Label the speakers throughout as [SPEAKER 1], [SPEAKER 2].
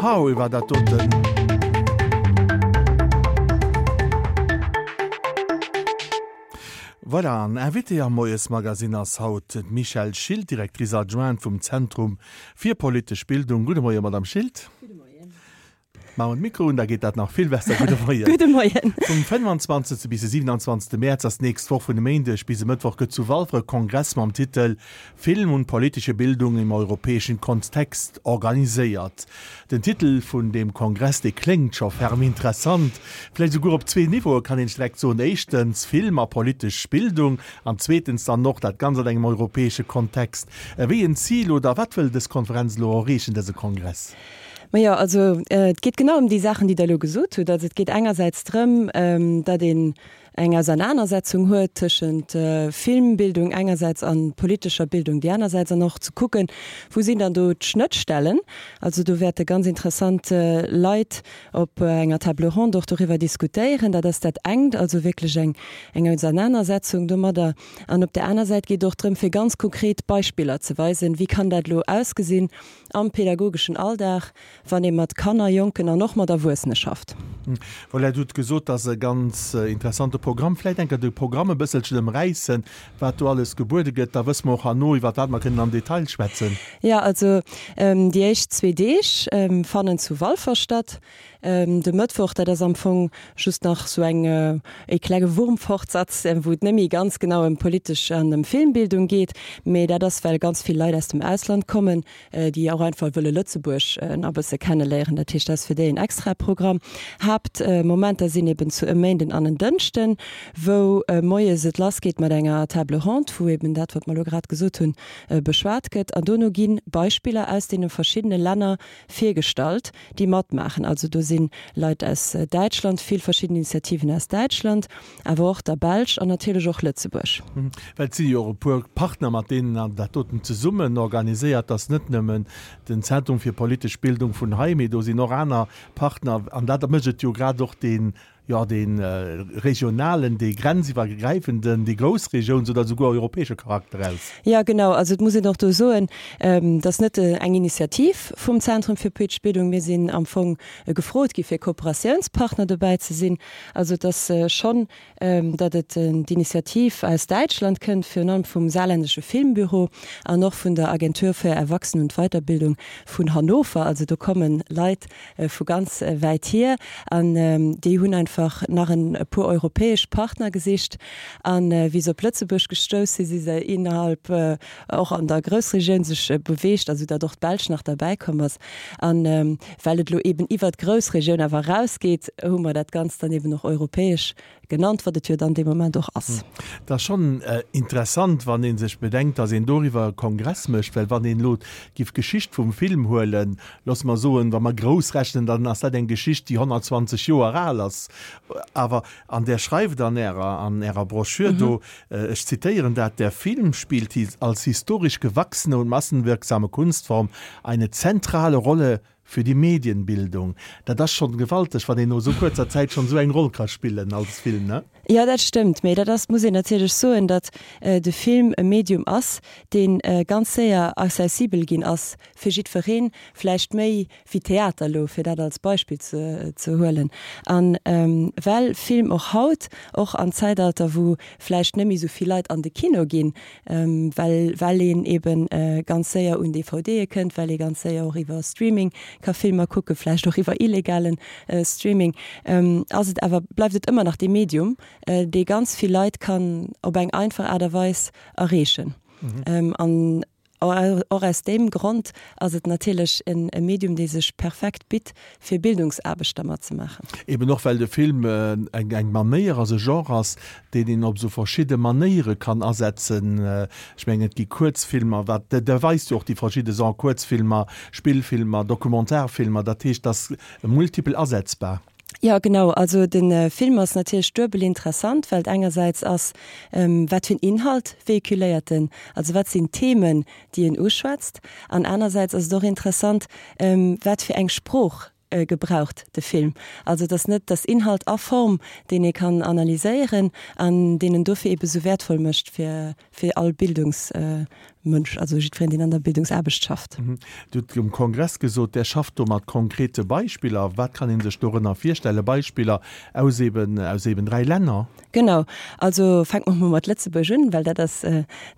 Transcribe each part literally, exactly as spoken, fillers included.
[SPEAKER 1] Howe war dat doten. Voilà, an Invitée am Moiesmagazin ass haut d'Michèle Schilt, Directrice adjointe vum Zentrum fir politesch Bildung. Gudde Moien, Madame Schilt.
[SPEAKER 2] Gudde Moien.
[SPEAKER 1] Maache mer d'Mikro un, da geet dat nach vill besser. Gudde Moien.
[SPEAKER 2] Gudde Moien.
[SPEAKER 1] Vum fënnefanzwanzegste bis de siewenanzwanzegste Mäerz ass d'nächst Woch, vun e Méindeg bis e Mëttwoch, gëtt zu Walfer e Kongress mam Titel Film und politische Bildung im europäischen Kontext organiséiert. Den Titel vun deem Kongress, dee kléngt scho ferm interessant, vläicht esouguer op zwee Niveaue kann een direkt soen, éischtens Film a politesch Bildung an zweetens dann och dat Ganzt an engem europäesche Kontext. Wéi en Zil oder wat wëll dës Konferenz elo erreechen, dëse Kongress?
[SPEAKER 2] Majo, also et geet genau ëm déi Saachen, déi Der elo gesot hutt. Also et geet engersäits drëm, datt een eng Ausernanersetzung huet tëschent Filmbildung engersäits a politescher Bildung déi anersäits an och ze kucken, wou sinn dann do d'Schnëttstellen. Also do wäerte ganz interessant Leit op enger Table ronde och doriwwer diskutéieren. Dat ass dat engt, also wierklech eng eng Ausernanersetzung domadder. An op där aner Säit geet et och drëm, fir ganz konkret Beispiller ze weisen, wéi kann dat elo ausgesinn am pädagogeschen Alldag, wann ee mat Kanner, Jonken an och mat Erwuessene schafft.
[SPEAKER 1] Voilà, Dir hutt gesot, dat ass e ganz interessante Programm. Vläicht eng Kéier de Programm e bësselchen ëmräissen, wat do alles gebuede gëtt, da wësse mer och herno, iwwer wat mer kënnen am Detail schwätzen.
[SPEAKER 2] Jo, also déi éischt zwee Deeg fannen zu Walfer statt. De Mëttwoch, dat ass am Fong just nach sou eng, e klenge Wurmfortsatz, wou et net méi ganz genau ëm politesch an ëm Filmbildung geet, mee dat ass, well ganz vill Leit aus dem Ausland kommen, déi och einfach wëlle Lëtzebuerg nach e bësse kenneléieren. Dat heescht, dat ass fir déi en extrae Programm. Haaptmomenter sinn eben zu e Méinden an en Dënschden, wou moies et lassgeet mat enger Table ronde, wou eben dat, wat mer elo grad gesot hunn, beschwat gëtt. An dono gi Beispiller aus deene verschiddene Länner virgestallt, déi matmaachen. Also do si Leit aus Däitschland, vill verschidden Initiativen aus Däitschland, awer och der Belsch an natierlech och Lëtzebuerg.
[SPEAKER 1] Well et si jo och e puer Partner, mat deenen Der dat doten zesummen organiséiert. Dat ass net nëmmen den Zentrum fir politesch Bildung vun hei, mee do sinn och aner Partner. An dat mécht et jo grad och dee, jo, dee regionalen, dee grenziwwergräifenden, dee groussregiouns oder souguer europäesche Charakter aus.
[SPEAKER 2] Jo, genau. Also et muss een och do soen, et ass net eng Initiativ vum Zentrum fir politesch Bildung. Mir sinn am Fong gefrot gi fir Kooperatiounspartner dobäi ze sinn. Also et ass schonn, datt et d'Initiativ aus Däitschland kënnt, virun allem vum Saarländische Filmbüro an och vun der Agentur für Erwachsenen und Weiterbildung vun Hannover. Also do komme Leit vu ganz wäit hier an déi hunn einfach nach e puer europäesch Partner gesicht. An wéi se op Lëtzebuerg gestouss sinn, si se innerhalb och an der Groussregioun sech beweegt, also datt och d'Belsch nach derbäi komm ass. An well et elo eben iwwert d'Groussregioun awer erausgeet, hu mer dat Ganzt dann eben och europäesch genannt, wat et jo dann dee Moment och ass.
[SPEAKER 1] Et ass schonn interessant, wann ee sech bedenkt, datt een doriwwer e Kongress mécht, well wann een elo giff d'Geschicht vum Film huelen, loosse mer soen, wa mer grouss rechnen, dann ass dat eng Geschicht, déi honnertzwanzeg Joer al ass. Awer, an där schreift an Ärer, an Ärer Broschür do, ech zitéieren dat, Der Film spielt als historisch gewachsene und massenwirksame Kunstform eine zentrale Rolle für die Medienbildung. Dat ass schonn gewalteg, wann een no esou kuerzer Zäit schonn esou eng Roll ka spillen als Film, ne?
[SPEAKER 2] Jo, dat stëmmt. Mee dat ass, muss een natierlech soen, datt de Film e Medium ass, dee ganz séier accessibel ginn ass fir jiddwereen, vläicht méi wéi Theater elo, fir dat als Beispill ze huelen. A well Film och haut, och am Zäitalter, wou vläicht net méi esou vill Leit an de Kino ginn, well well een eebe ganz séier un DVDe kënnt, well ee ganz séier och iwwer Streaming ka Filmer kucken, vläicht och iwwer illegalen Streaming, ass et awer, bleift et ëmmer nach dee Medium, dee ganz vill Leit kann op eng einfach Aart a Weis erreechen. An och aus deem Grond ass et natierlech e Medium, dee sech perfekt bitt, fir Bildungsaarbecht dermat ze maachen.
[SPEAKER 1] Eben och well de Film eng eng Manéier ass, e Genre ass, deen een op esou verschidde Manéiere kann asetzen. Ech mengen, et gi Kuerzfilmer, wat, der weist jo och déi verschidde Genrë, Kuerzfilmer, Spillfilmer, Dokumentarfilmer, dat heescht, et ass multipel asetzbar.
[SPEAKER 2] Jo, genau. Also de Film ass natierlech duebel interessant, well et engersäits ass, wat fir en Inhalt véhiculéiert en, also wat sinn d'Themen, déi en uschwätzt, an anersäits ass et och interessant, wat fir eng Sprooch gebraucht de Film. Also et ass net, et ass Inhalt a Form, deen ee kann analyséieren an deen en dofir ebe sou wäertvoll mécht fir, fir all Bildungsmënsch. Bildungsmënsch, also jiddwereen, deen an der Bildungsaarbecht schafft.
[SPEAKER 1] Dir hutt um Kongress gesot, Der schafft do mat konkrete Beispiller. Wat kann ee sech dorënner virstellen? Beispiller aus eben, aus eben dräi Länner?
[SPEAKER 2] Genau. Also fänke mer mol mat Lëtzebuerg un, well dat ass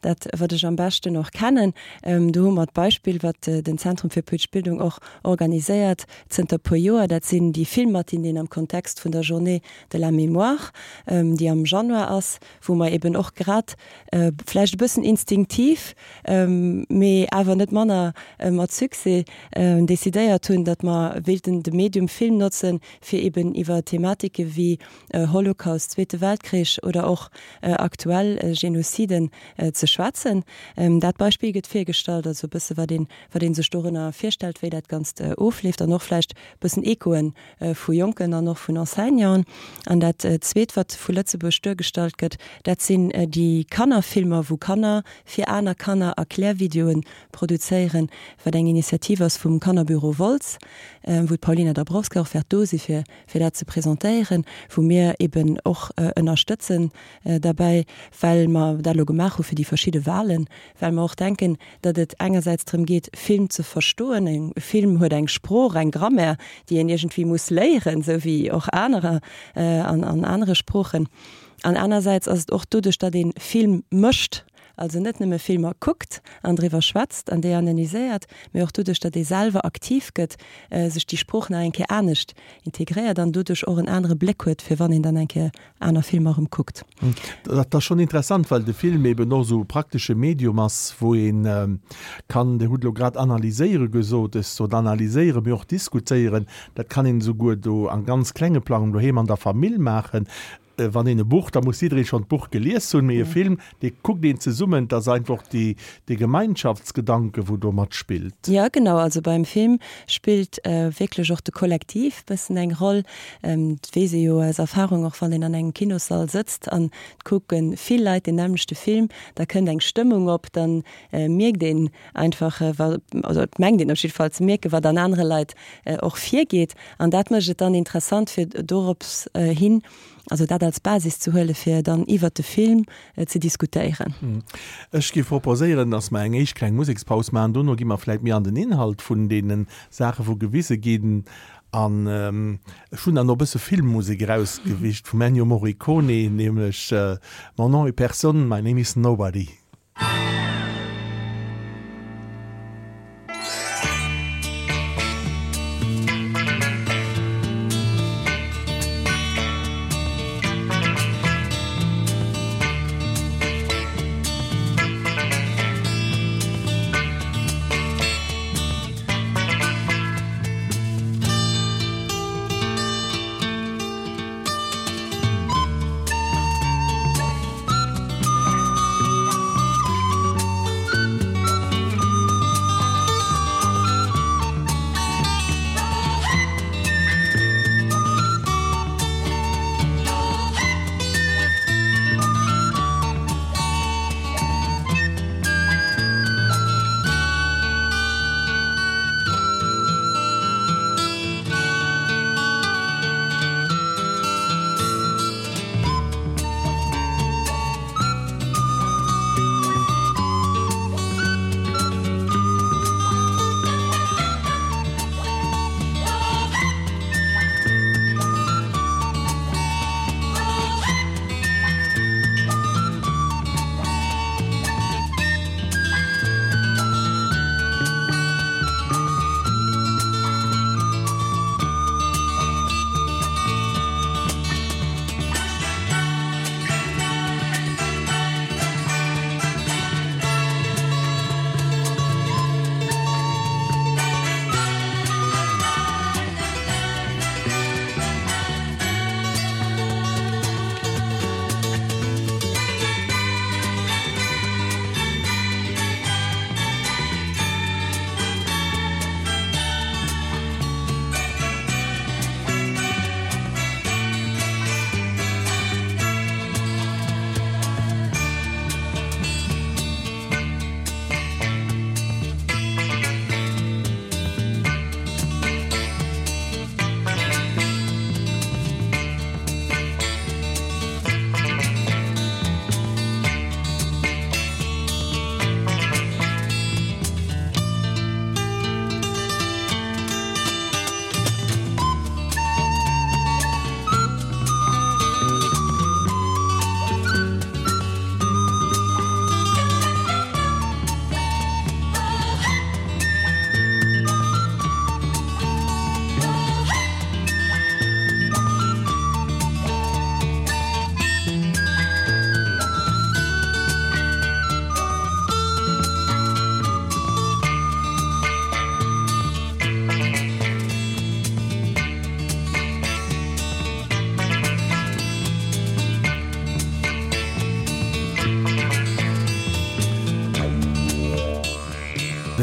[SPEAKER 2] dat, wat ech am beschten och kennen. Do hu mer d'Beispill, wat den Zentrum fir politesch Bildung och organiséiert zënter puer Joer, dat sinn déi Filmmatinéen am Kontext vun der Journée de la mémoire, déi am Januar ass, wou mer eben och grad vläicht e bëssen instinktiv, mee awer net manner mat Succès decidéiert hunn, datt mer wéilten de Medium Film notzen, fir eben iwwer Thematike wéi Holocaust, Zweete Weltkrich oder och aktuell Genoziden ze schwätzen. Dat Beispill gëtt virgestallt, also e bësse wat een, wat ee sech dorënner virstellt, wéi dat Ganzt ofleeft an och vläicht e bëssen Echoen vu Jonken an och vun Enseignanten. An dat Zweet, wat vu Lëtzebuerg duergestallt gëtt, dat sinn déi Kannerfilmer, wou Kanner fir aner Kanner Erklärvideoen produzéieren, wat eng Initiativ ass vum Kannerbüro Wolz, wou d'Paulina Dabrowska och wäert do si fir fir dat ze presentéieren, wou mir eben och ënnerstëtzen derbäi, well mer dat elo gemaach hu fir déi verschidde Wahlen, well mer och denken, datt et engersäits drëm geet, Film ze verstoen. E Film huet eng Sprooch, eng Grammaire, déi een iergendwéi muss léieren, esou wéi och anerer an an anere Sproochen. An anersäits ass et och doduerch, datt ee Film mécht, also net nëmme Filmer kuckt an driwwer schwätzt an déi analyséiert, mee och doduerch, datt ee selwer aktiv gëtt, sech déi Sprooch nach eng Kéier anescht integréiert an doduerch och en anere Bléck huet, fir wann een dann eng Kéier aner Filmer erëm kuckt.
[SPEAKER 1] Dat ass schonn interessant, well de Film eben och esou e praktesche Medium ass, wou ee kann, Dir hutt elo grad analyséiere gesot, ech sot analyséieren, mee och diskutéieren. Dat kann een esouguer do am ganz klenge Plang doheem an der Famill maachen. Wann een e Buch, da muss jidderee schonn d'Buch gelies hunn, mee e Film, dee kuckt een zesummen. Et ass einfach déi, dee Gemeinschaftsgedanke, wou do matspillt.
[SPEAKER 2] Jo, genau. Also beim Film spillt wierklech och de Kollektiv bëssen eng Roll. Et weess ee jo aus Erfahrung, och wann een an engem Kinossall sëtzt an et kucke vill Leit deen nämmlechte Film, da kënnt eng Stëmmung op, da mierkt een einfach, also et mengt een op jidde Fall ze mierken, wat an anere Leit och virgeet. An dat mécht et dann interessant, fir dorops hin, also dat als Basis ze huelen, fir dann iwwert de Film ze diskutéieren.
[SPEAKER 1] Ech géif proposéieren, dass mer eng éischt kleng Musekspaus maachen. Dono gi mer vläicht méi an den Inhalt vun deene Saache wou gewise ginn. An ech hunn dann och e bësse Filmmusek erausgewicht vum Ennio Morricone, nämlech Mon nom est personne, my name is nobody.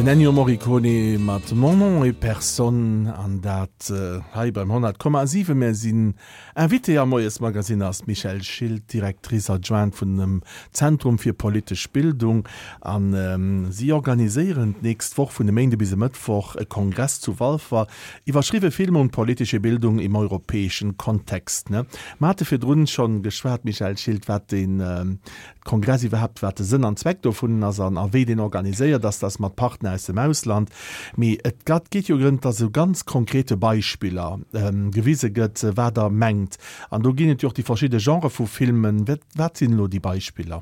[SPEAKER 1] Den Ennio Morricone mat Mon nom est personne an dat hei beim honnert Komma siwen. Mir sinn Invité am Moiesmagazin ass d'Michèle Schilt, Directrice adjointe vun dem Zentrum fir politesch Bildung an si organiséieren d'nächst Woch vun e Méinde bis e Mëttwoch e Kongress zu Walfer iwwerschriwwe Film und politische Bildung im europäischen Kontext. Mir hate virdrun schonn geschwat, Michèle Schilt, wat de Kongress iwwerhaapt, wat de Sënn an Zweck dovun ass an a wéi deen organiséiert ass, dass mat Partner aus dem Ausland. Mee et gat geet jo drëm, dass esou ganz konkrete Beispiller gewise gëtt, wat Der mengt. An do ginn et jo och déi verschidde Genrë vu Filmen. Wat, wat sinn elo déi Beispiller?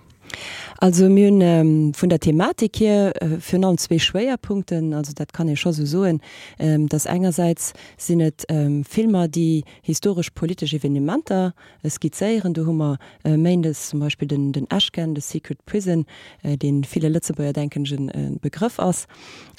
[SPEAKER 2] Also mir hunn vun der Thematik hier virun allem zwee Schwéierpunkten. Also dat kann ee scho sou soen, dass engersäits sinn et Filmer, déi historesch-politesch Evenementer skizzéieren. Do hu mer méindes zum Beispill den den Ashcan, The Secret Prison, dee ville Lëtzebuerger, denken ech, e Begrëff ass.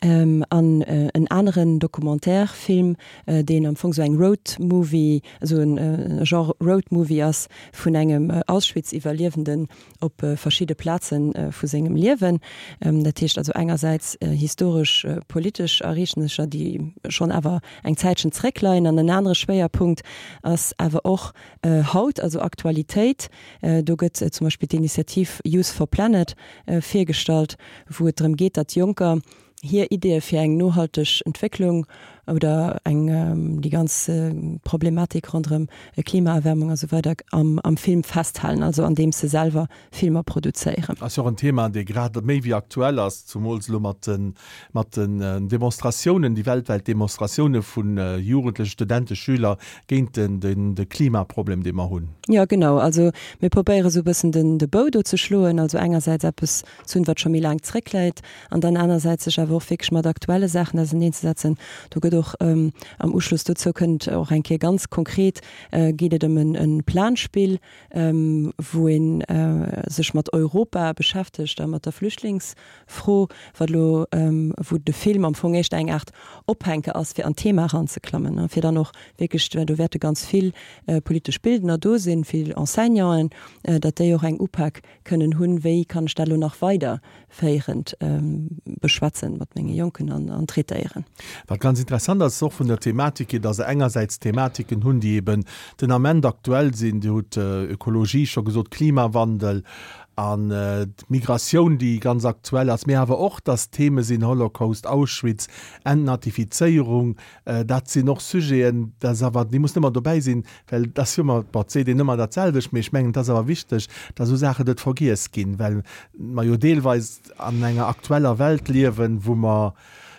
[SPEAKER 2] An en aneren Documentaire-Film, deen am Fong sou eng Road-Movie, esou e Genre Road-Movie ass vun engem Auschwitz-Iwwerliewenden op verschidde Plaze vu sengem Liewen. Dat heescht also engersäits historesch politesch Ereegnesser, déi schonn awer eng Zäitchen zréckleien. An en anere Schwéierpunkt ass awer och haut, also Aktualitéit. Do gëtt zum Beispill d'Initiativ Youth for Planet virgestallt, wou et drëm geet, datt Jonker hir Ideeë fir eng nohalteg Entwécklung oder eng déi ganz Problematik ronderëm Klimaerwärmung a sou weider am am Film festhalen, also andeems se selwer Filmer produzéieren.
[SPEAKER 1] Ass jo och en Thema, dee grad méi wéi aktuell ass, zumools elo mat de mat den Demonstratiounen, déi weltwäit Demonstratioune vu Jugendlechen, Studenten, Schüler géint den den de Klimaproblem, dee mer hunn.
[SPEAKER 2] Jo, genau. Also mir probéiere sou e bëssen den de Bou do ze schloen, also engersäits eppes ze hunn, wat scho méi laang zréckläit, an dann anersäits sech awer och wierklech mat aktuelle Saachen auserneenzesetzen. Do gëtt och am Uschloss dozou kënnt och eng Kéier ganz konkret geet et ëm e Planspill, wou ee sech mat Europa beschäftegt a mat der Flüchtlingsfro, wat elo, wou de Film am Fong éischter eng Aart Ophänke ass, fir an d'Thema eranzeklammen, fir dann och wierklech, well do wäerte ganz vill politesch Bildner do sinn, vill Enseignanten, datt déi och eng Upak kënnen hunn, wéi kann ech dat elo nach weiderféierend beschwätzen mat menge Jonken an traitéieren.
[SPEAKER 1] Wat ganz interessant ass och vun der Thematik hier, datt se engersäits Thematiken hunn, déi eben den Ament aktuell sinn, Dir hutt Ökologie scho gesot, Klimawandel an d'Migratioun, déi ganz aktuell ass, mee awer och, datt Theme sinn, Holocaust, Auschwitz, Entnazifizéierung, dat sinn och Sujeten, dat ass awer, déi mussen ëmmer dobäi sinn, well et ass jo ëmmer, bon, et seet een ëmmer dat selwecht, mee ech mengen, et ass awer wichteg, datt esou Saachen net vergiess ginn, well mer jo deelweis an enger aktueller Welt liewen, wou mer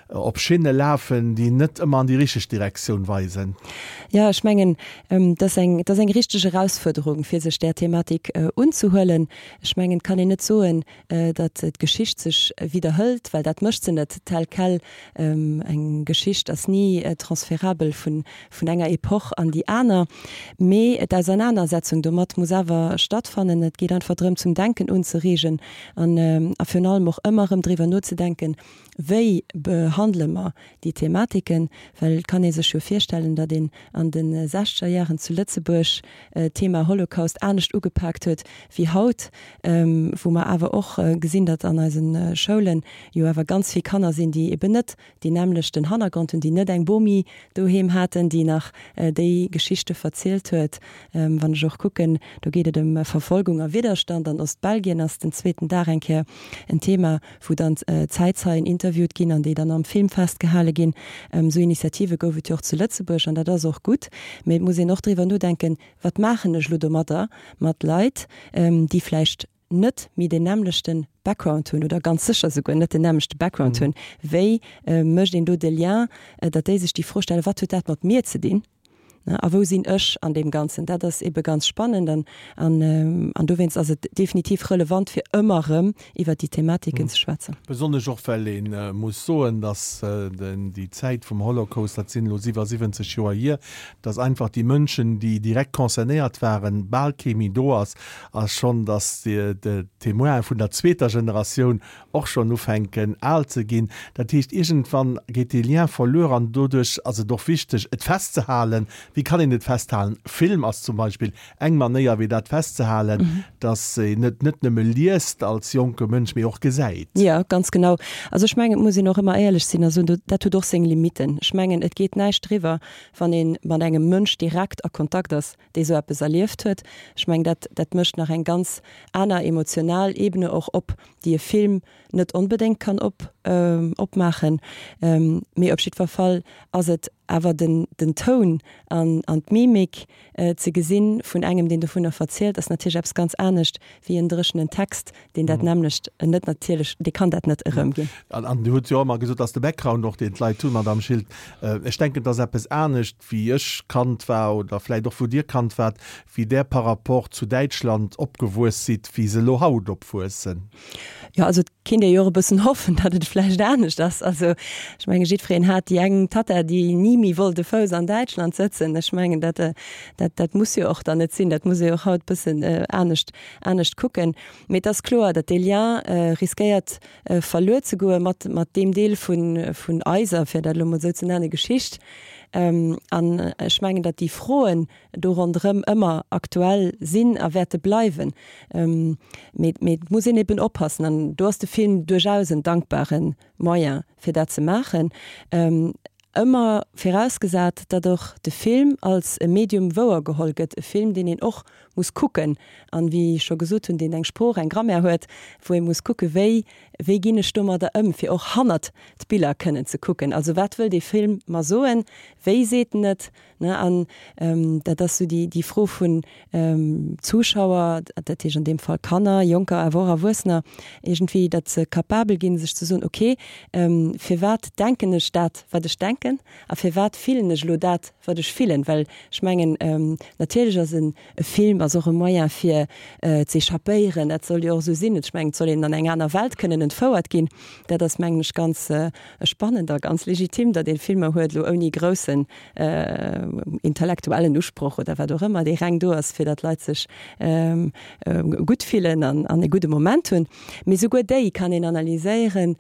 [SPEAKER 1] op Schinne lafen, déi net ëmmer an déi richteg Direktioun weisen.
[SPEAKER 2] Jo, ech mengen, et ass eng, et ass eng richteg Erausfuerderung, fir sech där Thematik unzehuelen. Ech mengen, et kann een net soen, datt d'Geschicht sech widderhëlt, well dat mécht se net tel quel. Eng Geschicht ass ni transferabel vun, vun enger Epoch an déi aner. Mee d'Ausernanersetzung domat muss awer stattfannen. Et geet einfach drëm, zum Denken unzereegen an, a virun allem och ëmmer erëm driwwer nozedenken, Wéi behandele mer déi Thematiken? Well et kann ee sech jo virstellen, datt een an de sechzeger Jaren zu Lëtzebuerg d'Thema Holocaust anescht ugepaakt huet wéi haut, wou mer awer och gesinn, datt an eise Schoule jo awer ganz vill Kanner sinn, déi eben net deen nämmlechten Hannergrond hunn, déi net eng Bomi doheem haten, déi nach déi Geschichte verzielt huet. Wann ech och kucken, do geet et ëm Verfolgung a Widderstand an Ostbelgien, ass den zweeten Dag eng Kéier en Thema, wou dann Zäitzeien interviewt ginn an déi dann am Film festgehale ginn. Esou Initiative gouf et jo och zu Lëtzebuerg an dat ass och gutt. Mee et muss een och driwwer nodenken, Wat maachen ech elo domadder mat Leit, déi vläicht net méi deen nämmlechte Background hunn oder ganz sécher souguer net den nämmlechte Background hunn? Wéi mécht een do de Lien, datt déi sech déi Fro stellen, Wat huet dat mat mir ze dinn? A wou sinn ech an deem Ganzen? Dat ass ebe ganz spannend an an dowéinst ass et definitiv relevant, fir ëmmer erëm iwwert déi Thematiken ze schwätzen.
[SPEAKER 1] Besonnesch och, well ee muss soen, datt déi Zäit vum Holocaust, dat sinn elo siwwersiwwenzeg Joer hier, datt einfach déi Mënschen, déi direkt concernéiert waren, bal kee méi do ass a schonn datt d'Témoine vun der zweeter Generatioun och schonn ufänken al ze ginn. Dat heescht, iergendwann geet dee Lien verluer an doduerch ass et och wichteg, et festzehalen, Wéi kann een et festhalen? Film ass zum Beispill eng Manéier, wéi dat festzehalen, dass een et net nëmme liest als jonke Mënsch, mee och gesäit.
[SPEAKER 2] Jo, ganz genau. Also ech mengen, et muss een och ëmmer éierlech sinn a soen, dat huet och seng Limitten. Ech mengen, et geet näischt driwwer, wann ee mat engem Mënsch direkt a Kontakt ass, dee sou eppes erlieft huet. Ech mengen, dat, dat mécht nach eng ganz aner emotional Ebene och op, déi e Film net onbedéngt kann op, opmaachen. Mee op jiddwer Fall ass et awer den, den Toun an, an d'Mimik ze gesinn vun engem, deen dovunner verzielt, ass natierlech eppes ganz anescht wéi en dréchenen Text, deen dat nämmlecht net natierlech, dee kann dat net erëmginn.
[SPEAKER 1] An, an Dir hutt jo och ëmmer gesot, dass de Background och, deen d'Leit hunn, Madamm Schild, ech denken, et ass eppes anescht, wéi ech Kand war oder vläicht och wou Dir Kand waart, wéi Der par rapport zu Däitschland opgewuess sidd, wéi se elo haut opwuessen.
[SPEAKER 2] Jo, also et kéint ee jo och e bëssen hoffen, datt et vläicht anescht ass. Also ech menge jiddwereen hat déi eng Tatta, déi ni méi wollt e Fouss an Däitschland sëtzen. Ech mengen dat, dat, dat muss jo och dann net sinn. Dat muss ee jo och haut e bëssen anescht, anescht kucken. Mee et ass kloer, datt dee Lien riskéiert verluer ze goe mat, mat deem Deel vun, vun eiser, fir dat elo emol esou ze nennen, Geschicht. An ech mengen, datt déi Froen do ronderëm ëmmer aktuell sinn a wäerte bleiwen. Mee, mee et muss een eben oppassen, an do ass de Film duerchaus en dankbare Moyen, fir dat ze maachen, ëmmer virausgesat, datt och de Film als e Medium wouergeholl gëtt, e Film, deen een och muss kucken an, wéi ech scho gesot hunn, deen eng Sprooch, eng Grammaire huet, wou ee muss kucken, wéi, wéi ginn ech domadder ëm, fir och hannert d'Biller kënnen ze kucken. Also wat wëll dee Film mer soen, wéi seet en et, ne? An dat ass esou déi, déi Fro vun Zuschauer, dat heescht an deem Fall Kanner, Jonker, awer och Erwuessener, iergendwéi, datt se capabel ginn, sech ze soen, okay, firwat denken ech dat, wat ech denken, a firwat fillen ech elo dat, wat ech fillen? Well ech mengen, natierlech ass en Film ass och e Moyen fir z'echappéieren, dat soll jo och esou sinn. Ech mengen, et soll een an eng aner Welt kënnen entfouert ginn. Dat ass, mengen ech, ganz spannend a ganz legitim, datt ee Filmer huet, elo ouni groussen intellektuellen Usproch oder wat och ëmmer, dee reng do ass, fir datt d'Leit sech gutt fillen an e gudde Moment hunn. Mee souguer déi kann een analyséieren,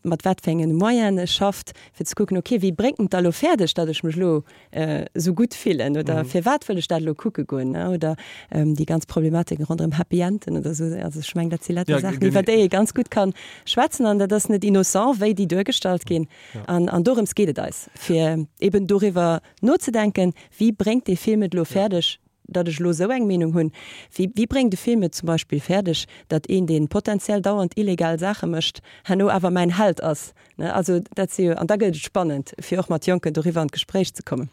[SPEAKER 2] mat wat fir engen Moyenen e schafft, fir ze kucken, okay, wéi bréngt en et da elo fäerdeg, datt ech mech elo esou gutt fillen oder firwat wëll ech dat elo kucke goen, oder déi ganz Problematiken ronderëm Happy Enden oder esou. Also ech mengen, dat si lauter Saachen, iwwer déi ee ganz gutt ka schwätzen an dat ass net innocent, wéi déi duergestallt ginn. An, an dorëms geet et eis, fir eben doriwwer nozedenken, wéi bréngt dee Film et elo fäerdeg, datt ech elo esou eng Meenung hunn, wéi, wéi bréngt e Film et zum Beispill fäerdeg, datt een, dee potenziell dauernd illegal Saache mécht, herno awer mäin Held ass, ne? Also dat si jo, an da gëtt et spannend, fir och mat Jonken doriwwer an d'Gespréich ze kommen.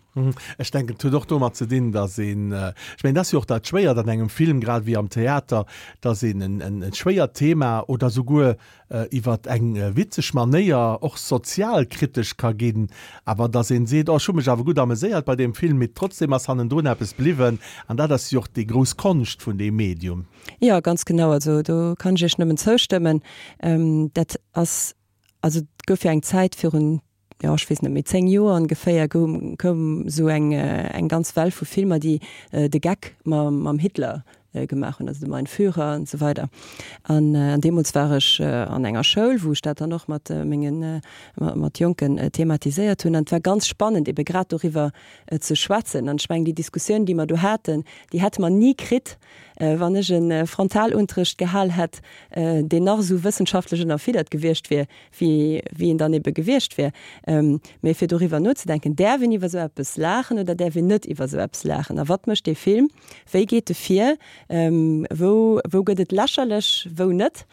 [SPEAKER 1] Ech denken, et huet och domat ze dinn, datt een, ech mengen, dat ass jo och dat Schwéiert an engem Film, grad ewéi am Theater, datt een en, en schwéiert Thema oder souguer iwwer eng witzeg Manéier och sozialkritesch ka ginn, awer datt een seet, oh ech hu mech awer gutt ameséiert bei deem Film, mee trotzdem ass hannendrun eppes bliwwen. An dat ass jo och déi grouss Konscht vun deem Medium.
[SPEAKER 2] Jo, ganz genau. Also do kann ech Iech nëmmen zoustëmmen. Dat ass, also et gouf jo eng Zäit virun, jo ech weess net méi, zéng Joer ongeféier, goum koum esou eng eng ganz Well vu Filmer, déi de Geck mam Hitler gemaach hunn, also de Mein Führer an esou weider. An deemools war ech an enger Schoul, wou ech dat dann och mat mengen, mat Jonken thematiséiert hunn. An et war ganz spannend, ebe grad doriwwer ze schwätzen. An ech mengen, déi Diskussioun, déi mer do haten, déi hätte mer ni kritt, wann ech e Frontalunterrecht gehal hätt, deen nach esou wëssenschaftlech ënnerfiddert gewiescht wier, wéi wéi en dann ebe gewiescht wier. Mee fir doriwwer nozedenken, däerf een iwwer esou eppes laachen oder däerf een net iwwer esou eppes laachen? A wat mécht dee Film? Wéi geet e vir? Wou wou gëtt et lächerlech, wou net?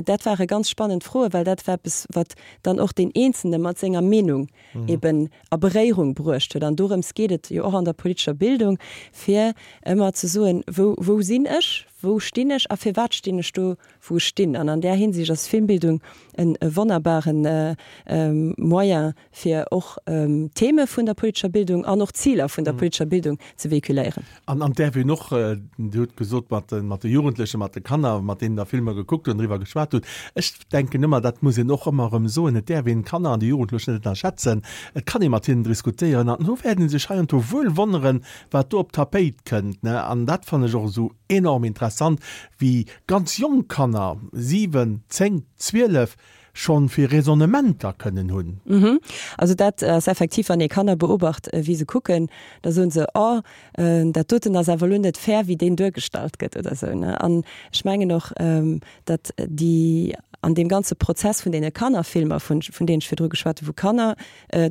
[SPEAKER 2] Dat ware ganz spannend Froen, well dat war eppes, wat dann och deen Eenzelne mat senger Meenung eben a Beréierung bruecht huet. An dorëms geet et jo och an der politescher Bildung, fir ëmmer ze soen, wou wou sinn ech, wou stinn ech a firwat stinn ech do, wou ech stinn. An an där Hinsicht ass Filmbildung e wonnerbare Moyen, fir och Theme vun der politescher Bildung an och Ziler vun der politescher Bildung ze véhiculéieren.
[SPEAKER 1] An an däerf een och, Dir hutt gesot, mat de mat de Jugendlechen, mat de Kanner, mat deenen Der Filmer gekuckt hutt an driwwer geschwat hutt, ech denken ëmmer, dat muss een och ëmmer erëm soen, et däerf een d'Kanner an déi Jugendlech net ënnerschätzen. Et kann ee mat hinnen diskutéieren an do wäerten se sech heiansdo wuel wonneren, wat do op d'Tapéit kënnt, ne. An dat fannen ech och esou enorm interessant, wéi ganz jonk Kanner, siwen, zéng, zwielef, schonn fir Raisonnementer kënnen hunn.
[SPEAKER 2] Mhm. Also dat ass effektiv, wann ee Kanner beobacht, wéi se kucken, da soen se, Oh, dat doten ass awer elo net fair, wéi deen duergestallt gëtt oder esou, ne? An ech mengen och, datt déi an deem ganze Prozess vun deene Kannerfilmer, vun vun deenen ech virdru geschwat hunn, wou Kanner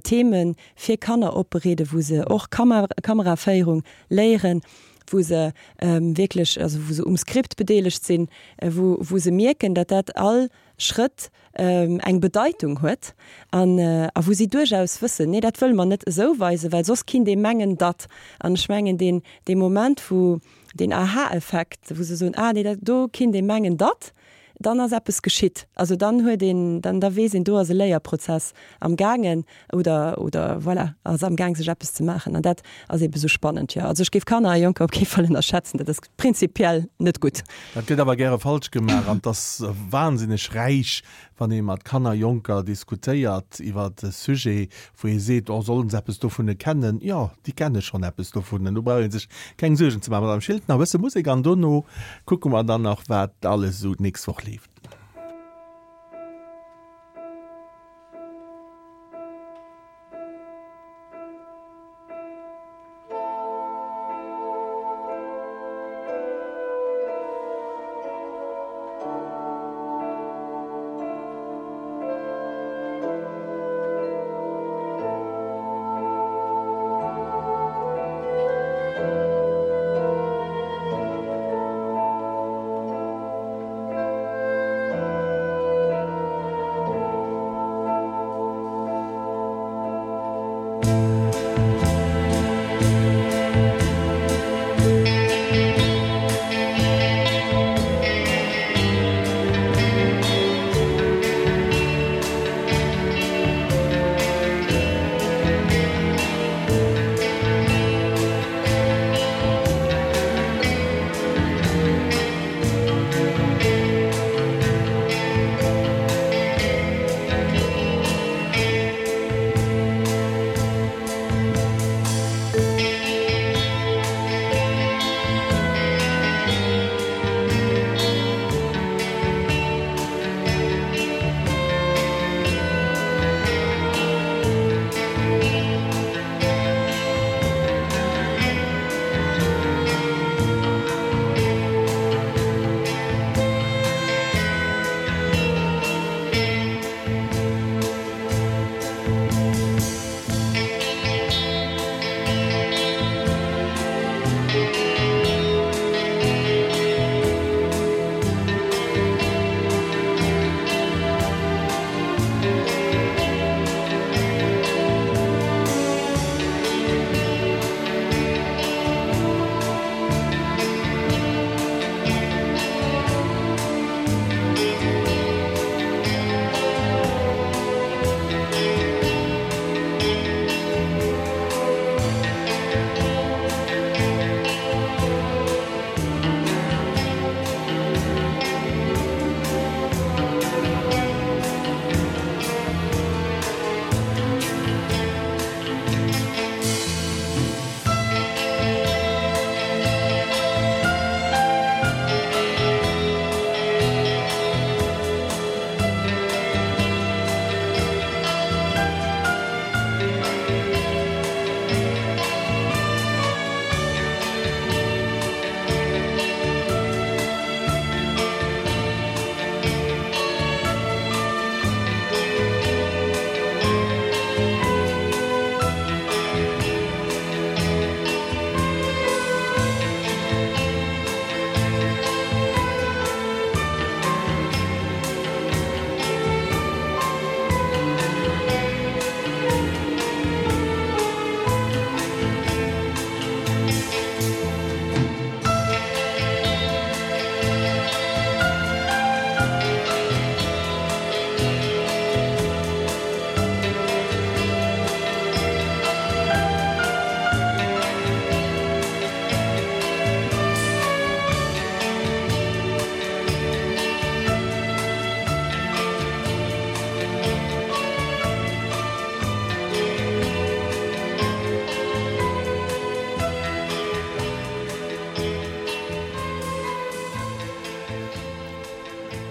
[SPEAKER 2] Theme fir Kanner opbereeden, wou se och Kameraféierung léieren, wou se wierklech, also wou se um Skript bedeelegt sinn, wou wou se mierken, datt dat all Schrëtt eng Bedeitung huet an a wou si duerchaus wëssen, nee dat wëlle mer net esou weisen, well soss kinnt ee mengen, datt. An ech mengen deen dee Moment wou deen Aha-Effekt, wou se soen, ah nee dat do kinnt ee mengen, datt, dann ass eppes geschitt. Also dann huet een, dann da weess een, do ass e Léierprozess am gaangen oder oder voilà, ass am Gaang sech eppes ze maachen. An dat ass eebe sou spannend, jo. Also ech géif Kanner a Jonker op kee Fall ënnerschätzen, dat ass prinzipiell net gutt.
[SPEAKER 1] Dat gëtt awer gäre falsch gemaach an 't ass wahnsinneg räich, wann ee mat Kanner, Jonker diskutéiert iwwert e Sujet, wou ee seet, oh sollen se eppes dovun kennen? Jo, déi kenne schonn eppes dovun. Do brauch ee sech keng Suergen ze maachen. Madame Schilt, nach e bësse Musek an dono kucke mer dann nach, wat alles esou d'nächst Woch leeft.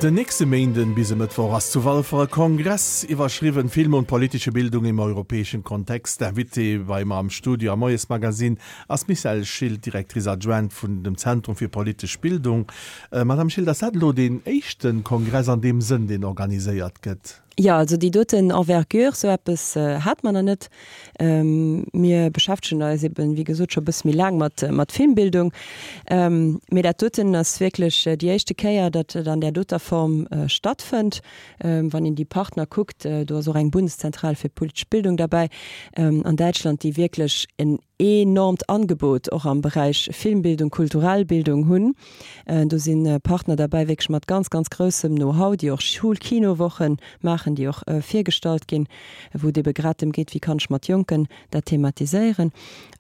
[SPEAKER 1] Den nächste Méinden bis e Mëttwoch ass zu Walfer e Kongress iwwerschriwwen Film und politische Bildung im europäischen Kontext. D'Invitée bei mer am Studio am Moiesmagazin ass d'Michèle Schilt, Directrice adjointe vun dem Zentrum fir politesch Bildung. Madame Schilt, ass dat elo deen éischte Kongress an deem Sënn, deen organiséiert gëtt?
[SPEAKER 2] Jo, also déi doten Envergure, sou eppes hat mer nach net. Mir beschäftegen eis eben, wéi gesot, scho e bësse méi laang mat, mat Filmbildung. Mee dat doten ass wierklech déi éischte Kéier, datt et an där doter Form stattfënnt. Wann een déi Partner kuckt, do ass och eng Bundeszentrale fir politesch Bildung derbäi an Däitschland, déi wierklech en enormt Angebot och am Beräich Filmbildung, kulturell Bildung hunn. Do si Partner derbäi wierklech mat ganz, ganz groussem Know-how, déi och Schulkinowochen maachen, déi och virgestallt ginn, wou et ebe grad drëm geet, wéi kann ech mat Jonken dat thematiséieren.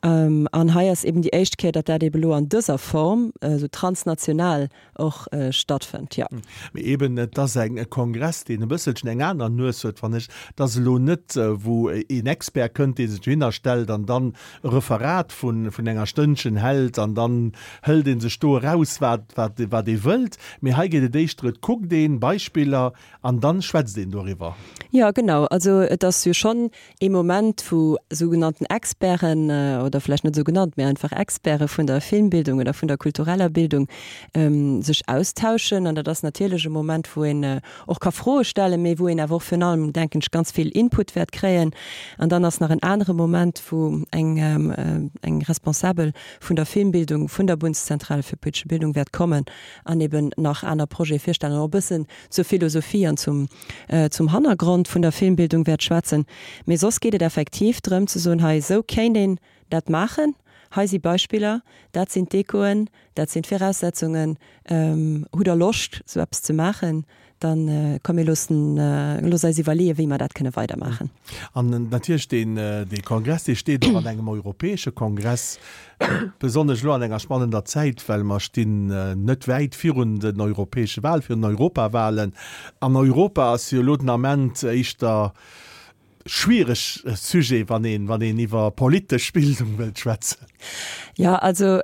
[SPEAKER 2] An hei ass eben déi éischt Kéier, datt dat ebe lo an dëser Form esou transnational och stattfënnt, jo.
[SPEAKER 1] Mee eben, et ass eng, e Kongress, deen e bësselchen eng aner Nues huet, fannen ech. Et ass elo net, wou een Expert kënnt, dee sech dohinner stellt an dann e Referat vun, vun enger Stënnchen hält an dann hëlt ee sech do eraus, wat, wat, wat ee wëllt. Mee hei geet et éischter, et kuckt een Beispiller an dann schwätzt een doriwwer.
[SPEAKER 2] Jo, genau. Also et ass jo schonn ee Moment, wou sougenannten Experten, oder vläicht net esou genannt, mee einfach Experte vun der Filmbildung oder vun der kultureller Bildung sech austauschen. An dat ass natierlech e Moment, wou een och ka Froe stellen, mee wou een awer och virun allem, denken ech, ganz vill Input wäert kréien. An dann ass nach en anere Moment, wou eng eng Responsabel vun der Filmbildung vun der Bundeszentrale für politische Bildung wäert kommen an eben nach aner Projete virstellen an och e bëssen zur Philosophie an zum zum Hannergrond vun der Filmbildung wäert schwätzen. Mee soss geet et effektiv drëm ze soen, hei esou kéint een dat maachen, hei si Beispiller, dat sinn d'Echoen, dat sinn d'Viraussetzungen, hutt Der Loscht esou eppes ze maachen, dann komm mir loossen, looss eis iwwerleeën, wéi mer dat kënne weidermaachen.
[SPEAKER 1] An natierlech deen, dee Kongress, dee steet och an engem europäesche Kongress, besonnesch elo an enger spannender Zäit, well mer stinn net wäit virun den europäesche Wahlen, virun den Europawahlen. An Europa ass jo elo den Ament éischter schwiereg Sujet, wann een, wann een iwwer politesch Bildung wëllt schwätzen.
[SPEAKER 2] Jo, also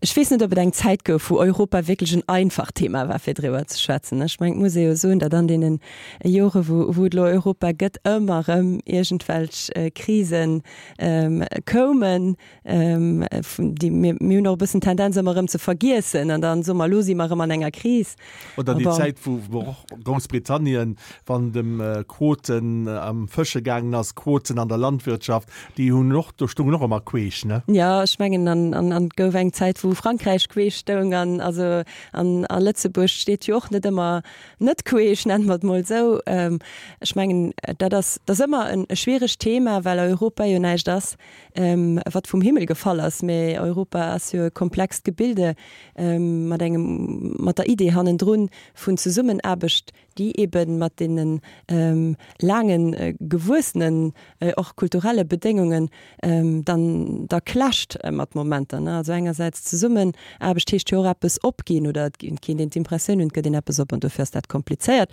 [SPEAKER 2] ech weess net, ob et eng Zäit gouf, wou Europa wierklech en einfacht Thema war, fir driwwer ze schwätzen. Ech mengen, et muss ee jo soen, datt an deene Jore, wou, wou et elo Europa gëtt, ëmmer erëm iergendwelch Krise koumen, déi mir, mir hunn och e bëssen d'Tendenz, ëmmer erëm ze vergiessen an dann soe mer, elo si mer erëm an enger Kris.
[SPEAKER 1] Oder déi Zäit, wou, wou och Groussbritannien, wann et ëm Quoten am Fësche gaangen ass, Quoten an der Landwirtschaft, déi hunn och, do stoungen och ëmmer queesch, ne?
[SPEAKER 2] Jo, ech mengen, an, an, an et gouf eng Zäit, wou Frankräich queesch stoung an, also, an, a Lëtzebuerg steet jo och net ëmmer net queesch, nenne mer et mol esou. Ech mengen, dat ass, dat ass ëmmer en, e schwieregt Thema, well Europa jo näischt ass, wat vum Himmel gefall ass, mä Europa ass jo e komplext Gebilde mat engem, mat der Idee hannendrun vun Zesummenaarbecht, déi ebe mat deene laange gewuessenen, och kulturelle Bedéngungen dann da clasht mat Momenter. Also engersäits Zesummenaarbecht heescht jo och eppes opginn, oder et kéint een d'Impressioun hunn, et gëtt een eppes op, an dofir ass dat komplizéiert.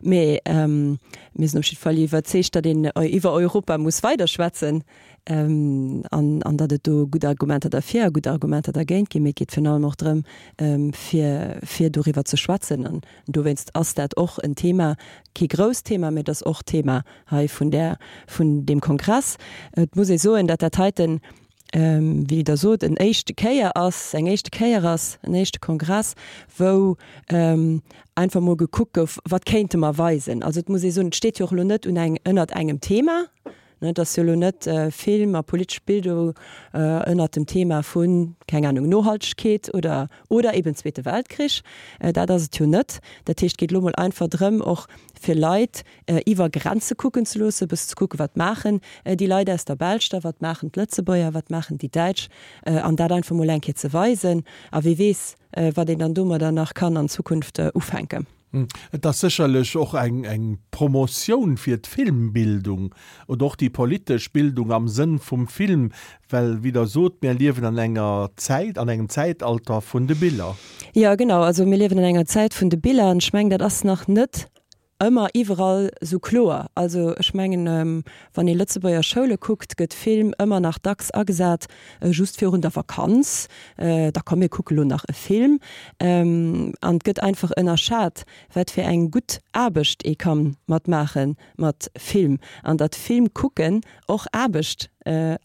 [SPEAKER 2] Mee mir sinn op jidde Fall iwwerzeegt, datt een iwwer Europa muss weiderschwätzen an an datt et do gutt Argumenter derfir a gutt Argumenter dergéint ginn. Mee et geet virun allem och drëm, fir fir doriwwer ze schwätzen. An dowéinst ass dat och en Thema, kee grousst Thema, mee et ass och Thema hei vun där, vun deem Kongress. Et muss ee soen, datt dat heiten, wéi Der sot, en éischte Kéier ass, eng éischte Kéier ass, en éischte Kongress, wou einfach mol gekuckt gouf, wat kéinte mer weisen. Also et muss ee soen, et steet jo och elo net un eng, ënnert engem Thema. Et ass jo elo net Film a politesch Bildung ënnert dem Thema vun, keng Ahnung, Nohaltegkeet oder, oder eben Zweete Weltkrich. Dat ass et jo net. Dat heescht, et geet elo mol einfach drëm, och fir Leit iwwer Grenze kucken ze loossen, e bëssen ze kucken, wat maachen déi Leit aus der Belsch da, wat maachen d'Lëtzebuerger, wat maachen déi Däitsch, an dat einfach mol eng Kéier ze weisen. A wie weess, wat een dann domadder nach kann an Zukunft ufänken.
[SPEAKER 1] Et ass sécherlech och eng eng Promotioun fir d'Filmbildung oder och déi politesch Bildung am Sënn vum Film, well, wéi Der sot, mir liewen an enger Zäit, an engem Zäitalter vun de Biller.
[SPEAKER 2] Jo, genau. Also mir liewen an enger Zäit vun de Biller an ech mengen, dat ass nach net ëmmer iwwerall sou kloer. Also ech mengen, wann ee Lëtzebuerger Schoule kuckt, gëtt Film ëmmer nach dacks agesat just virun der Vakanz, da komm mir kucke lo nach e Film. An et gëtt einfach ënnerschat, wat fir eng gutt Aarbecht ee ka mat maache mat Film an datt Film kucken och Aarbecht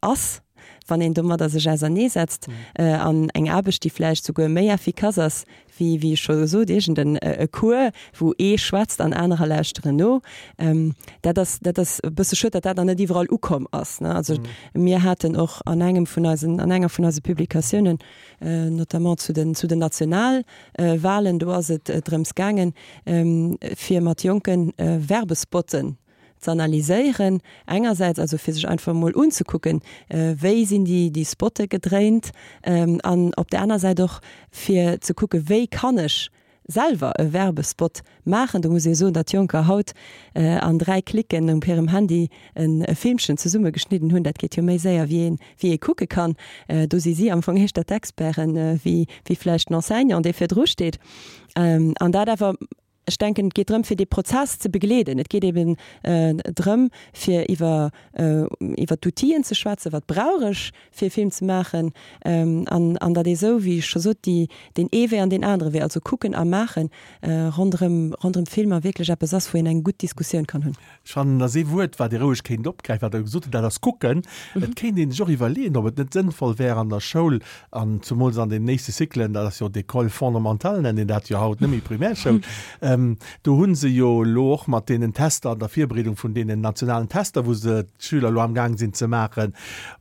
[SPEAKER 2] ass, wann een domadder sech auserneesetzt an eng Aarbecht, déi vläicht souguer méi effikass ass wéi, wéi ech scho gesot, iergend en e Cours, wou ee schwätzt an anerer lauschteren no. Dat ass, dat ass e bësse schued, datt dat nach net iwwerall ukomm ass, ne. Also mir haten och an engem vun eisen, an enger vun eise Publikatiounen, notamment zu den, zu den Nationalwahlen, do ass et drëms gaangen, fir mat Jonke Werbespotten z'analyséieren engersäits, also fir sech einfach emol unzekucken, wéi sinn déi, déi Spotte gedréint, an op där aner Säit och fir ze kucken, wéi kann ech selwer e Werbespot maachen. Do muss ee soen, datt Jonker haut an dräi Klicken op hirem Handy e Filmchen zesummegeschnidden hunn. Dat geet jo méi séier wéi een, wéi ee kucke kann. Do si si am Fong éischter d'Experten wéi, wéi vläicht den Enseignant, dee virdru steet. An dat awer Ech denken, et geet drëm, fir dee Prozess ze begleeden. Et geet eben drëm, fir iwwer, iwwer d'Outill'en ze schwätzen, wat brauch ech, fir e Film ze maachen, an, an datt ee sou, wéi ech scho sot, déi, deen ee Wee an deen anere Wee, also kucken a maachen, ronderëm, ronderëm Filmer wierklech eppes ass, wou een eng gutt Diskussioun kann hunn.
[SPEAKER 1] Ech fannen, dat ass ee Wuert, wat ee roueg kéint opgräifen, wat Der gesot hutt, dat ass kucken. Et kéint ee sech och iwwerleeën, ob et net sënnvoll wär an der Schoul, an zumools an den nächste Cyclen, dat ass jo d'École fondamentale, nennt een dat jo haut, net méi Primärschoul, do hu se jo elo och mat deenen Tester, an der Virbereedung vun deenen nationalen Tester, wou se d'Schüler elo amgaang sinn ze maachen,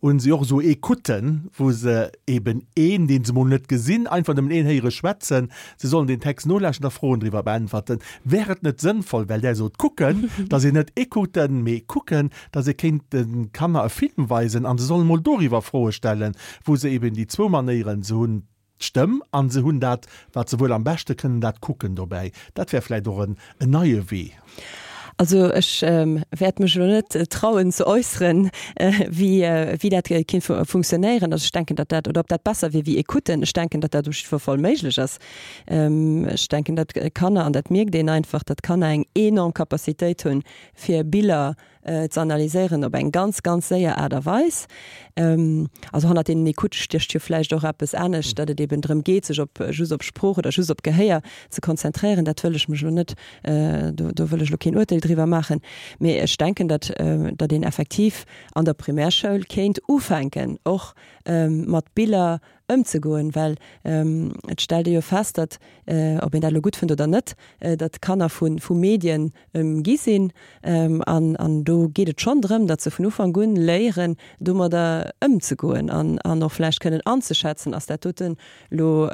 [SPEAKER 1] hu se och esou Écouten, wou se eben een, dee se mol net gesinn, einfach nëmmen een héiere schwätzen, se sollen deen Text nolauschten a Froen driwwer beäntwerten. Wär et net sënnvoll, well Der sot kucken, datt een net écouten, mee kucken, datt ee kéint de Kanner e Film weisen a se sollen emol doriwwer Froe stellen, wou se eben déi zwou Manéieren, se hunn d'Stëmm a se hunn dat, wat se wuel am beschte kënnen, dat Kucken dobäi. Dat wär vläicht och en neie Wee.
[SPEAKER 2] Also ech wäert mech elo net trauen ze äusseren, wéi wéi dat kéint funktionéieren. Also ech denken, datt dat, oder ob dat besser wier wéi Écouten. Ech denken, datt dat op jiddwer Fall méiglech ass. Ech denken, datt Kanner, an dat mierkt een einfach, datt Kanner eng enorm Capacitéit hunn, fir Biller ze analyséieren op eng ganz, ganz séier Aart a Weis. Also hannert deenen Écoute stécht jo vläicht och eppes anescht, datt et eben drëm geet, sech op just op Sprooch oder just op Gehéier ze konzentréieren. Dat wëll ech mech elo net, do do wëll ech elo keen Urteel driwwer maachen. Mee ech denken, datt datt een effektiv an der Primärschoul kéint ufänken och mat Biller ëmzegoen, well et stellt ee jo fest, datt, ob een dat elo gutt fënnt oder net, datt d'Kanner vu vu Medien ëmgi sinn. An an do geet et schonn drëm, datt se vun Ufank un léieren, domadder ëmzegoen an an och vläicht kënnen anzeschätzen, ass dat doten elo,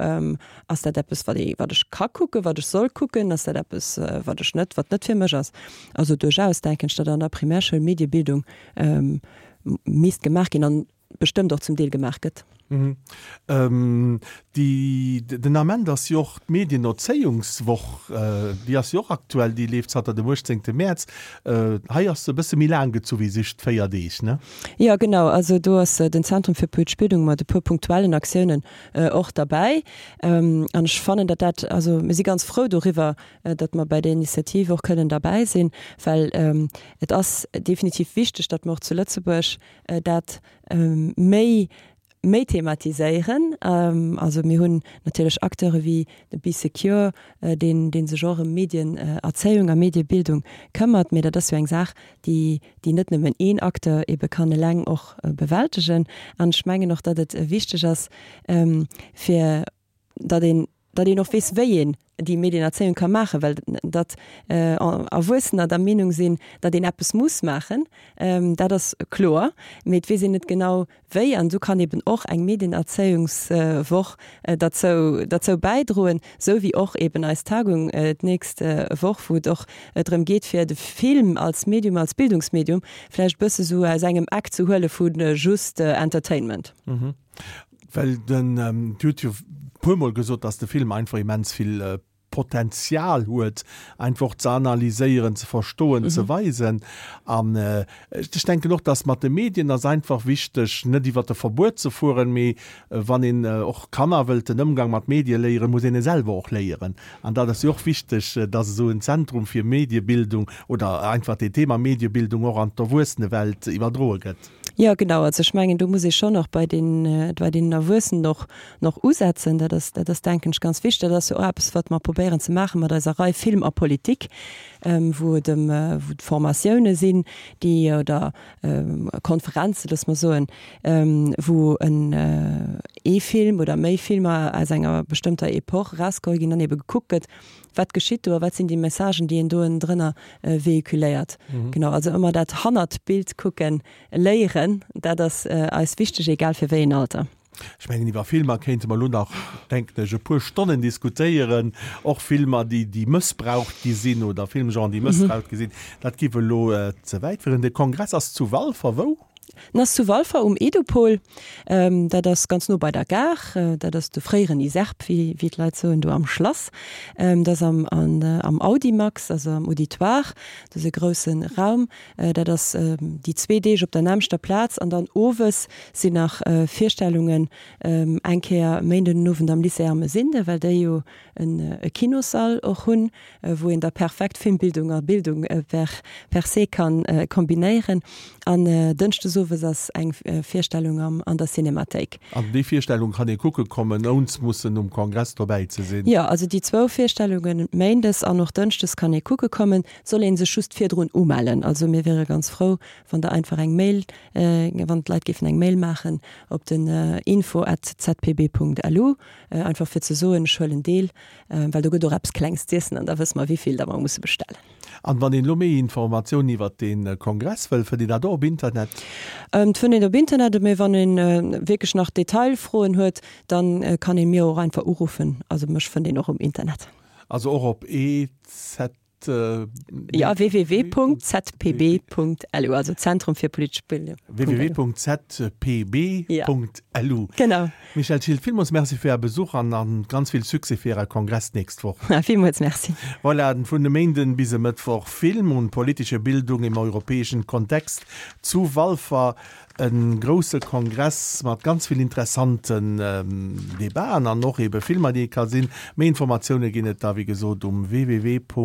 [SPEAKER 2] ass dat eppes, wat ee wat ech ka kucken, wat ech soll kucken, ass dat eppes, wat ech net, wat net fir mech ass. Also duerchaus denken ech, datt an der Primärschoul Mediebildung misst gemaach ginn an bestëmmt och zum Deel gemaach gëtt.
[SPEAKER 1] Déi, den Ament ass jo och d'Medienerzéiungswoch, déi ass jo och aktuell, déi leeft zanter dem uechtzéngte Mäerz. Hei ass se e bësse méi laang gezu wéi just véier Deeg, ne?
[SPEAKER 2] Jo, genau. Also do ass den Zentrum fir politesch Bildung mat e puer punktuellen Aktiounen och derbäi. An ech fannen, datt dat, also mir si ganz frou doriwwer, datt mer bei där Initiativ och kënnen derbäi sinn, well et ass definitiv wichteg, datt mer och zu Lëtzebuerg dat méi méi thematiséieren. Also mir hunn natierlech Acteure wéi de Bee Secure, deen dee sech och ëm Medienerzéiung a Mediebildung këmmert, mee dat ass jo eng Saach, déi déi net nëmmen een Acteur ebe kann eleng och bewältegen. An ech mengen och, datt et wichteg ass, fir datt een datt een och weess, wéi een déi Medienerzéiung ka maachen, well datt Erwuessener der Meenung sinn, datt een eppes muss maachen, dat ass kloer, mee et weess een net genau wéi. An esou kann eben och eng Medienerzéiungswoch derzou derzou bäidroen, esou wéi och eben eis Tagung d'nächst Woch, wou et och drëm geet, fir de Film als Medium, als Bildungsmedium vläicht e bësse sou aus engem Eck ze huele vu just Entertainment.
[SPEAKER 1] Well den, Dir hutt jo e puermol gesot, dass de Film einfach immens vill Potenzial huet, einfach ze analyséieren, ze verstoen, mhm. ze weisen. An äh, ech denken och, dass mat de Medien ass einfach wichteg, net iwwer de Verbuet ze fueren, mee äh, wann een äh, och Kanner wëllt den Ëmgang mat Medie léieren, muss een e selwer och léieren. An dat ass jo och wichteg, äh, dass esou en Zentrum fir Mediebildung oder einfach den Thema Mediebildung och an d'Erwuessenewelt iwwerdroe gëtt.
[SPEAKER 2] Jo, genau. Also ech mengen, do muss ee schonn och bei den, bei den Erwuessenen och nach usetzen. Dat ass, dat ass denken ech ganz wichteg. Dat ass jo och eppes, wat mer probéieren ze maache mat eiser Rei Film a Politik, wou et ëm, wou et Formatioune sinn, déi, oder Konferenzen, loosse mer soen, wou en ee Film oder méi Filmer aus enger bestëmmter Epoch erausgeholl ginn an ebe gekuckt gëtt, wat geschitt do a wat sinn déi Messagen, déi een do ënnendrënner véhiculéiert. Genau, also ëmmer dat hannert d'Bild kucken léieren, dat ass eis wichteg, egal fir wéi een Alter.
[SPEAKER 1] Ech mengen, iwwer Filmer kéinte mer elo nach, denken ech, e puer Stonnen diskutéieren, och Filmer, déi, déi mëssbraucht gi sinn oder Filmgenren, déi mëssbraucht gi sinn. Dat géif elo ze wäit féieren. De Kongress ass zu Walfer, wou?
[SPEAKER 2] En ass zu Walfer um Edupol. Dat ass ganz no bei der Gare. Dat ass de fréieren ISERP, wéi d'Leit soen, do am Schlass. Dat ass am, am Audimax, also am Auditoire. Dat ass e grousse Raum. Dat ass déi zwee Deeg op der nämmlechter Plaz. An dann owes sinn nach Virstellungen, eng Kéier Méinden den Owend am Lycée Ermesinde, well déi jo e Kinossall och hunn, wou een da perfekt Filmbildung a Bildung per per se kann kombinéieren. An dënschdes owes ass eng Virstellung am an der Cinemathéik.
[SPEAKER 1] An déi Virstellung kann ee kucke kommen, ouns mussen um Kongress dobäi ze sinn?
[SPEAKER 2] Jo, also déi zwou Virstellungen, méindes an och dënschdes, kann ee kucke kommen. Et soll ee sech just virdrun umellen. Also mir wiere ganz frou, wann Der einfach eng Mail, wann d'Leit géifen eng Mail maachen op den info at zpb punkt lu, einfach fir ze soen, ech huelen deel, well do gëtt och eppes Klengs z'iessen an da wësse mer, wéi vill da mer musse bestellen.
[SPEAKER 1] An wann een elo méi Informatiounen iwwert dee Kongress wëll, fënnt een dat och op Internet?
[SPEAKER 2] Et fënnt een op Internet, mee wann een wierklech nach Detailfroen huet, dann kann een mir och einfach uruffen. Also mech fënnt een och um Internet.
[SPEAKER 1] Also och op EZ.
[SPEAKER 2] Ja, www.zpb.lu, also Zentrum fir politesch Bildung.
[SPEAKER 1] www.zpb.lu.
[SPEAKER 2] Genau.
[SPEAKER 1] Michèle Schilt, villmools Merci fir Är Besuch an an ganz vill Succès fir Äre Kongress d'nächst Woch.
[SPEAKER 2] Villmools Merci.
[SPEAKER 1] Voilà, vun e Méinden bis e Mëttwoch Film und politische Bildung im europäischen Kontext zu Walfer. E grousse Kongress mat ganz vill interessanten Debaten an och ebe Filmer, déi ee ka sinn. Méi Informatioune ginn et da wéi gesot um www.zpb.lu.